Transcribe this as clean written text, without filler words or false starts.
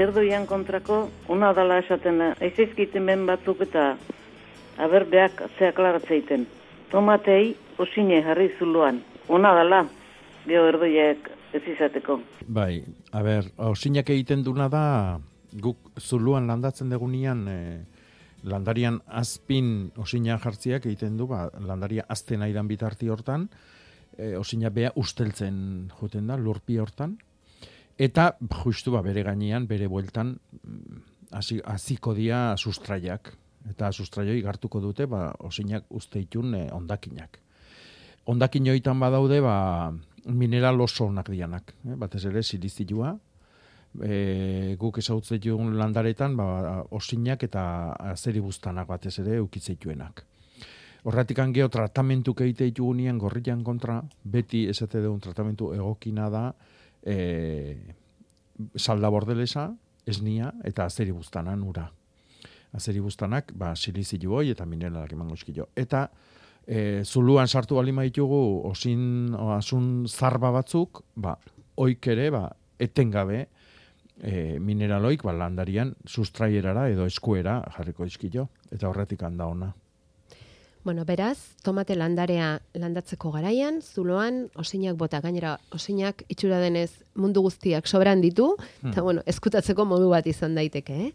erdoian kontrako, una dala esaten, aizaizkiten ben batzuk eta aberbeak atzea klaratzeiten. Tomatei osine jarri zuluan, una dala, geho erdoiak ez izateko. Bai, osinak egiten duna da, guk zuluan landatzen degunean, landarian azpin osina jartziak egiten du, landaria azten aidan bitarti hortan, osina bea usteltzen joten da, lurpi hortan, eta justu bere gainean, bere bueltan, hasiko dia sustraiak, eta sustraioi gartuko dute, osinak usteitun ondakinak. Ondakin joitan badaude, mineral oso onak dianak, batez ere silizioa, guk ezautzetun landaretan, osinak eta azeribuztanak batez ere eukitzeituenak. Horretik angeo tratamentuk egite ditugunean gorrian kontra, beti esate dugun tratamentu egokina da salda bordelesa, esnia eta azeribuztanan ura. Azeribuztanak, silizio eta mineralak emango eskio. Eta zuluan sartu balima ditugu asun zarba batzuk, oik ere, etengabe mineraloik landarian sustraierara edo eskuera jarriko dizkio, eta horretik handa ona. Bueno, beraz, tomate landarea landatzeko garaian, zuloan osinak bota, gainera osinak itxura denez mundu guztiak sobran ditu, eta eskutatzeko modu bat izan daiteke,